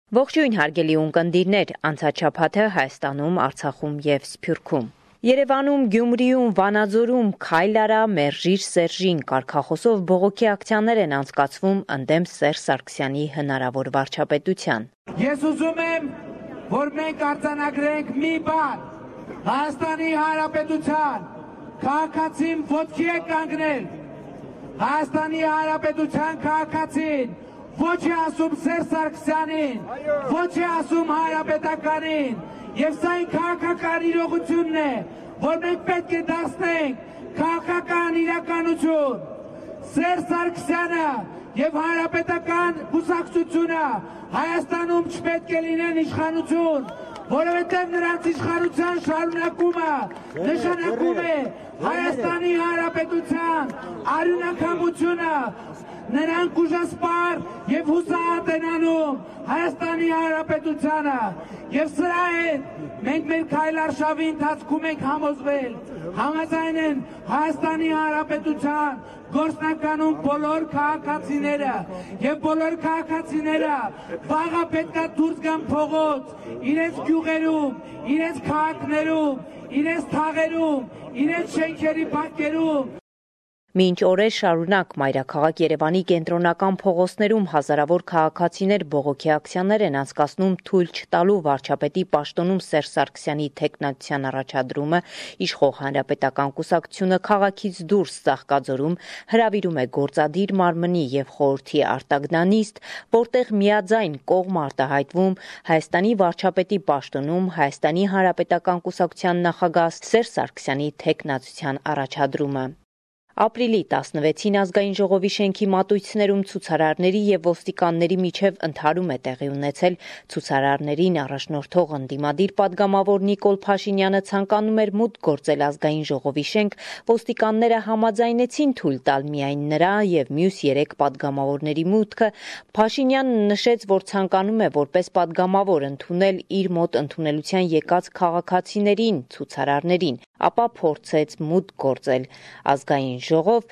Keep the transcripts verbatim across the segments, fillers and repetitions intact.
Ողջույն հարգելի ունկնդիրներ, անցած շաբաթը Հայաստանում, Արցախում և Սփյուռքում։ Երևանում, Գյումրիում, Վանաձորում «Քայլ արա, մերժիր Սերժին» կարգախոսով բողոքի ակցիաներ են անցկացվում ընդդեմ Սերժ Սարգսյանի հնարավոր վարչապետության։ Ես ուզում եմ, որ մենք արձանագրենք մի բան. Հայաստանի Հանրապետության քաղաքացին ոտքի է կանգնել։ Հայաստանի Հանրապետության քաղաքացին ոչ է ասում Սերժ Սարգսյանին, ոչ է ասում Հանրապետականին, եւ սա այն քաղաքական իրողությունն է, որ մենք պետք է դարձնենք քաղաքական իրականություն։ Սերժ Սարգսյանը եւ Հանրապետական կուսակցությունը Հայաստանում չպետք է լինեն իշխանություն, որովհետեւ նրանց իշխանության շարունակումը նշանակում է Հայաստանի Հանրապետության արյունակամությունը, նրանք ուժասպառ եւ հուսահատ են անում Հայաստանի Հանրապետությանը, եւ սրա հետ մենք մեր քայլարշավի ընթացքում ենք համոզվել, համաձայն են Հայաստանի Հանրապետության գործնականում բոլոր քաղաքացիները եւ բոլոր քաղաքացիները վաղը պետքա դուրս գան փողոց, իրենց գյուղերում, իրենց քաղաքներում, իրենց թաղերում, իրենց շենքերի բակերում։ Մինչ օրեր շարունակ մայրաքաղաք Երևանի կենտրոնական փողոցներում հազարավոր քաղաքացիներ բողոքի ակցիաներ են անցկացնում թույլ չտալու վարչապետի պաշտոնում Սերժ Սարգսյանի թեկնածության առաջադրումը, իշխող Հանրապետական կուսակցությունը քաղաքից դուրս Ծաղկաձորում հրավիրում է գործադիր մարմնի եւ խորհրդի արտագնանիստ, որտեղ միաձայն կողմ արտահայտվում Հայաստանի վարչապետի պաշտոնում Հայաստանի Հանրապետական կուսակցության նախագահ Սերժ Սարգսյանի թեկնածության առաջադրումը։ Ապրիլի տասնվեցին ազգային ժողովի շենքի մատույցներում ցուցարարների եւ ոստիկանների միջև ընդհարում է տեղի ունեցել։ Ցուցարարներին առաջնորդող ընդդիմադիր падգամավոր Նիկոլ Փաշինյանը ցանկանում էր մուտք գործել ազգային ժողովի շենք, ոստիկանները համաձայնեցին թույլ տալ միայն նրա եւ մյուս երեք падգամավորների մուտքը։ Փաշինյանը նշեց, որ ցանկանում է որպես падգամավոր ընդունել իր մոտ ընդունելության եկած քաղաքացիներին, ցուցարարներին, ապա փորձեց մուտք գործել ազգային ժողով,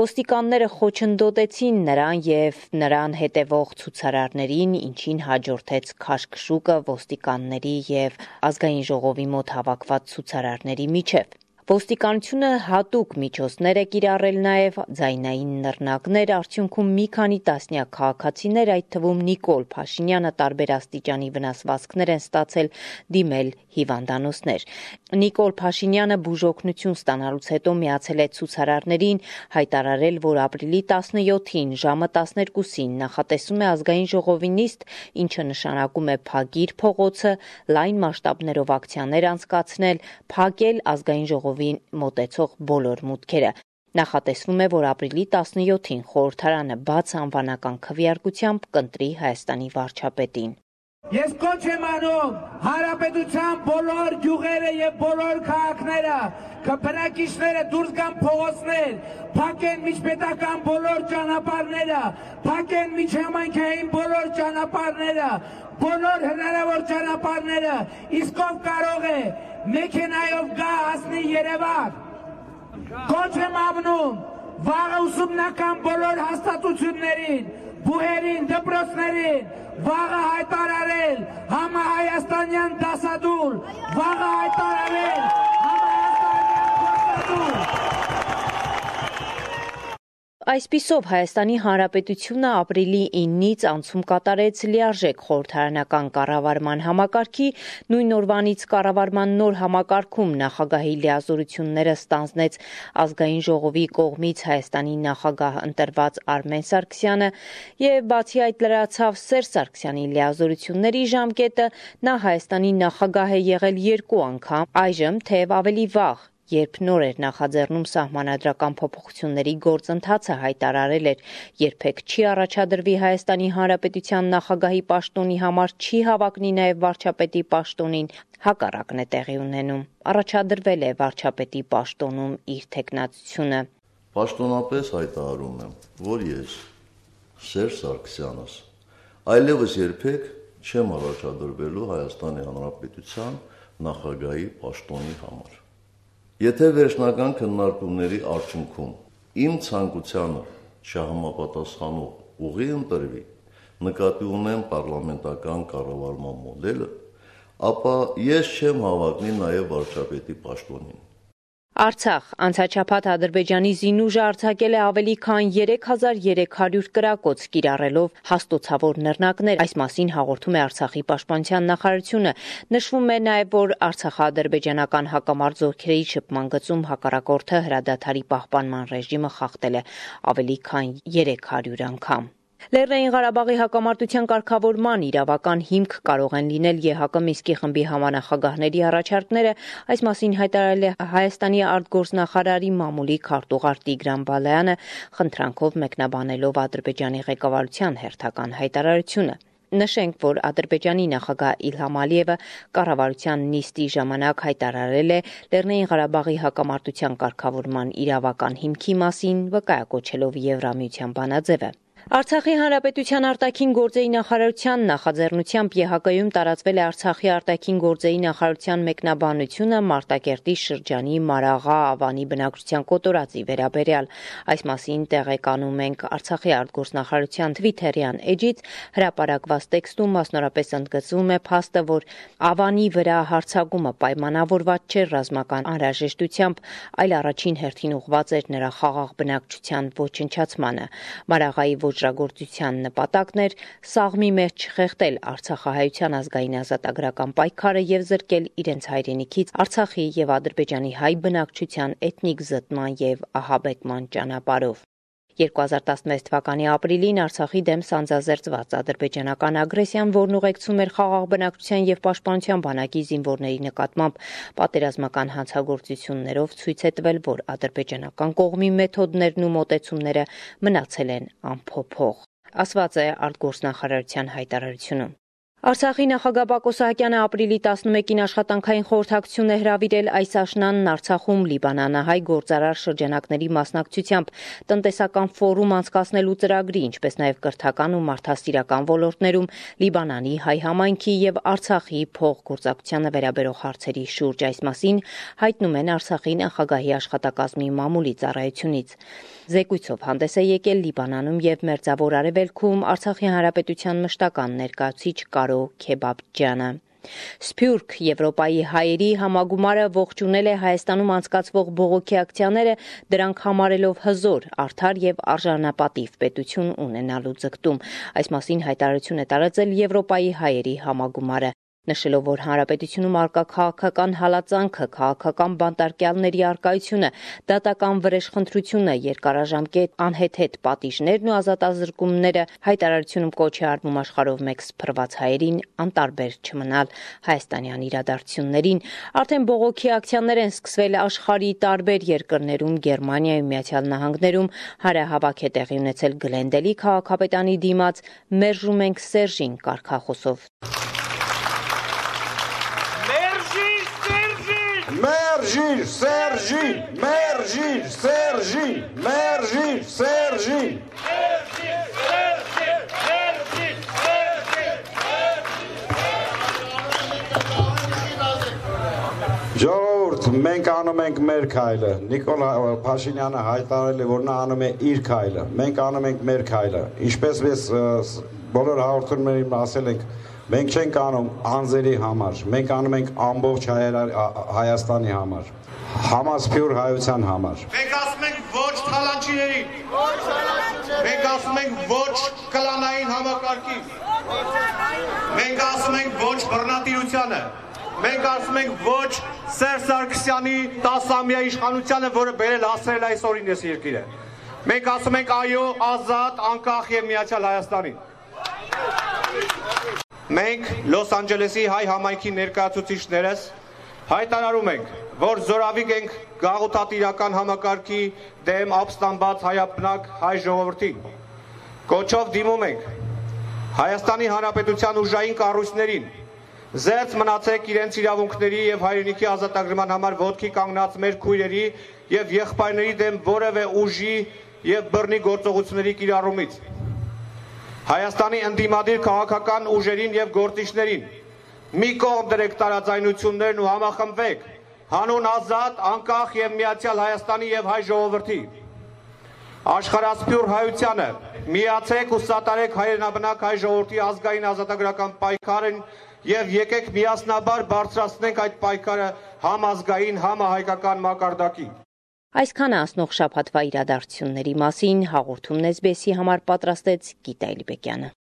ոստիկանները խոչընդոտեցին նրան եւ նրան հետևող ցուցարարներին, ինչին հաջորդեց քաշքշուկը ոստիկանների եւ ազգային ժողովի մոտ հավաքված ցուցարարների միջև։ Ոստիկանությունը հատուկ միջոցներ է կիրառել նաև ձայնային նռնակներ, արդյունքում մի քանի տասնյակ քաղաքացիներ, այդ թվում Նիկոլ Փաշինյանը տարբեր աստիճանի վնասվածքներ են ստացել, դիմել հիվանդանոցներ։ Նիկոլ Փաշինյանը բուժօգնություն ստանալուց հետո միացել է ցուցարարներին, հայտարարել, որ ապրիլի տասնյոթին ժամը տասներկուսին նախատեսում է ազգային ժողովի նիստ, ինչը նշանակում է փակիր փողոցը, լայն մասշտաբներով ակցիաներ անցկացնել, փակել ազգային ժողովին մոտեցող բոլոր մուտքերը։ Նախատեսվում է, որ ապրիլի տասնյոթին խորհրդարանը բաց անվանական քվեարկությամբ կընտրի Հայաստանի վարչապետին։ Ես կոչ եմ անում Հանրապետության բոլոր գյուղերը եւ բոլոր քաղաքները, բնակիչները դուրս գան փողոցներ, փակեն միջպետական բոլոր ճանապարհները, փակեն միջհամայնքային բոլոր ճանապարհները, բոլոր հնարավոր ճանապարհները, իսկ ով կարող է մեքենայով գա հասնի Երևան։ Կոչ եմ անում վաղ ուսումնական բոլոր հաստատություններին, բուհերին, դպրոցներին, վաղը հայտարարել համահայաստանյան դասադուլ, վաղը հայտարարել համահայաստանյան դասադուլ։ Այսպիսով Հայաստանի Հանրապետությունը ապրիլի իննից անցում կատարեց լիարժեք խորհրդարանական կառավարման համակարգի, նույն օրվանից կառավարման նոր համակարգում նախագահի լիազորությունները ստանձնեց ազգային ժողովի կողմից Հայաստանի նախագահ ընտրված Արմեն Սարգսյանը եւ բացի այդ լրացավ Սերժ Սարգսյանի լիազորությունների ժամկետը, նա Հայաստանի նախագահ է եղել երկու անգամ, այժմ թեև ավելի վաղ, երբ նոր էր նախաձեռնում սահմանադրական փոփոխությունների գործընթացը, հայտարարել էր, երբեք չի առաջադրվի Հայաստանի Հանրապետության նախագահի պաշտոնի համար, չի հավակնի նաև վարչապետի պաշտոնին, հակառակն է տեղի ունենում։ Առաջադրվել է վարչապետի պաշտոնում իր թեկնածությունը։ Պաշտոնապես հայտարարում եմ, որ ես Սերժ Սարգսյանս այլևս երբեք չեմ առաջադրվելու Հայաստանի Հանրապետության նախագահի պաշտոնի համար։ Եթե վերջնական քննարկումների արդյունքում իմ ցանկությանը չհամապատասխանող ուղի ընտրվի, նկատի ունեմ պարլամենտական կառավարման մոդելը, ապա ես չեմ հավակնի նաև վարչապետի պաշտոնին։ Արցախ անցաչափած Ադրբեջանի զինուժը արձակել է ավելի քան երեք հազար երեք հարյուր կրակոց, կիրառելով հաստոցավոր նռնակներ։ Այս մասին հաղորդում է Արցախի պաշտպանության նախարարությունը։ Նշվում է նաև, որ արցախա-ադրբեջանական հակամարտ զորքերի շփման գծում հակառակորդը հրադադարի պահպանման ռեժիմը խախտել է ավելի քան երեք հարյուր անգամ։ Լեռնային Ղարաբաղի հակամարտության կարգավորման իրավական հիմք կարող են լինել Է Հ Կ Մինսկի խմբի համանախագահների առաջարկները, այս մասին հայտարարել է Հայաստանի արտգործնախարարի մամուլի քարտուղար Տիգրան Բալայանը, խնդրանքով մեկնաբանելով Ադրբեջանի ղեկավարության հերթական հայտարարությունը։ Նշենք, որ Ադրբեջանի նախագահ Իլհամ Ալիևը կառավարության նիստի ժամանակ հայտարարել է Լեռնային Ղարաբաղի հակամարտության կարգավորման իրավական հիմքի մասին, վկայակոչելով Եվրամիության բանաձևը։ Արցախի հանրապետության արտաքին գործերի նախարարության նախաձեռնությամբ Է Հ Կ-ում տարածվել է Արցախի արտաքին գործերի նախարարության մեկնաբանությունը Մարտակերտի շրջանի Մարաղա Ավանի բնակչության կոտորածի վերաբերյալ։ Այս մասին տեղեկանում ենք Արցախի արտգործնախարարության Թվիթերյան էջից, հրապարակված տեքստում մասնորապես ընդգծվում է փաստը, որ Ավանի վրա հարձակումը պայմանավորված չէր ռազմական անհրաժեշտությամբ, այլ առաջին հերթին ուղղված էր նրա խաղաղ բնակչության ոչնչացմանը։ Մարաղայի ոճրագործության նպատակն էր սաղմի մեջ չխեղդել արցախահայության ազգային ազատագրական պայքարը եւ զրկել իրենց հայրենիքից Արցախի եւ Ադրբեջանի հայ բնակչության էթնիկ զտման եւ ահաբեկման ճանապարհով։ երկու հազար տասնվեց թվականի ապրիլին Արցախի դեմ սանձազերծված ադրբեջանական ագրեսիան, որն ուղեկցում էր խաղաղ բնակչության եւ պաշտպանության բանակի զինվորների նկատմամբ պատերազմական հանցագործություններով, ցույց է տվել, որ ադրբեջանական կողմի մեթոդներն ու մոտեցումները մնացել են անփոփոխ, ասված է արտգործնախարարության հայտարարությունում։ Արցախի նախագահ Բակո Սահակյանը ապրիլի տասնմեկին աշխատանքային խորհրդակցություն է հրավիրել այս աշնանն Արցախում լիբանանահայ գործարար շրջանակների մասնակցությամբ տնտեսական ֆորում անցկացնելու ծրագրի, ինչպես նաև կրթական ու մարդասիրական ոլորտներում Լիբանանի հայ համայնքի եւ Արցախի փոխգործակցությանը վերաբերող հարցերի շուրջ։ Այս մասին հայտնում են Արցախի նախագահի աշխատակազմի մամուլի ծառայությունից։ Զեկույցով հանդես է եկել Լիբանանում եւ Մերձավոր Արևելքում Արցախի հանրապետության մշտական ներկայացուցիչ Կարո Քեբաբջյանը։ Սփյուռք Եվրոպայի հայերի համագումարը ողջունել է Հայաստանում անցկացվող բողոքի ակցիաները, դրանք համարելով հզոր, արդար եւ արժանապատիվ պետություն ունենալու ձգտում։ Այս մասին հայտարարություն է տարածել Եվրոպայի հայերի համագումարը, նշելով, որ հանրապետությունում արկա քաղաքական հալածանքը, քաղաքական բանտարկյալների արկայությունը, դատական վրեժխնդրությունը, երկարաժամկետ անհեթեթ պատիժներն ու ազատազրկումները, հայտարարությունում կոչ է արվում աշխարհով մեկ սփռված հայերին անտարբեր չմնալ հայաստանյան իրադարձություններին։ Արդեն բողոքի ակցիաներ են սկսվել աշխարհի տարբեր երկրներում, Գերմանիայում, Միացյալ Նահանգներում, հարահավաք է տեղի ունեցել Գլենդելի քաղաքապետանի դիմաց «Մերժում ենք Սերժին» կարգախոսով։ Մերժիր Սերժին, մերժիր Սերժին, մերժիր Սերժին։ Ժողովուրդ, մենք անում ենք մեր քայլը։ Նիկոլ Փաշինյանը հայտարարել է, որ նա անում է իր քայլը։ Մենք անում ենք մեր քայլը։ Ինչպես ես բոլոր հաղորդումներին ասել ենք, մենք չենք անում անձերի համար, մենք անում ենք ամբողջ Հայաստանի համար, համասփյուռ հայության համար։ Մենք ասում ենք ոչ թալանչիներին, մենք ասում ենք ոչ կլանային համակարգին, մենք ասում ենք ոչ բռնատիրությանը, մենք ասում ենք ոչ Սերժ Սարգսյանի տասամյա իշխանությանը, որը բերել հասցրել այս օրին այս երկիրը։ Մենք ասում ենք այո ազատ, անկախ եւ միացյալ Հայաստանին։ Մենք Լոս Անջելեսի հայ համայնքի ներկայացուցիչներս հայտարարում ենք, որ զորավիք ենք գաղութատիրական համակարգի դեմ ապստամբած հայաբնակ հայ ժողովրդին։ Կոչով դիմում ենք Հայաստանի Հանրապետության ուժային կառույցներին, զերծ մնացեք իրենց իրավունքների եւ հայրենիքի ազատագրման համար ոտքի կանգնած մեր քույրերի եւ եղբայրների դեմ որևէ ուժի եւ բռնի գործողությունների կիրառումից։ Հայաստանի ընդդիմադիր քաղաքական ուժերին եւ գործիչներին մի կողմ դրեք տարաձայնություններն ու համախմբվեք հանուն ազատ, անկախ եւ միացյալ Հայաստանի եւ հայ ժողովրդի։ Աշխարհասփյուր հայությանը միացեք ու սատարեք հայրենաբնակ հայ ժողովրդի ազգային ազատագրական պայքարին եւ եկեք միասնաբար բարձրացնենք այդ պայքարը համազգային, համահայկական մակարդակի։ Այսքանը ասնող շաբաթվա իրադարձությունների մասին հաղորդումն էս բի էսի համար պատրաստեց Գիտա Էլիբեկյանը։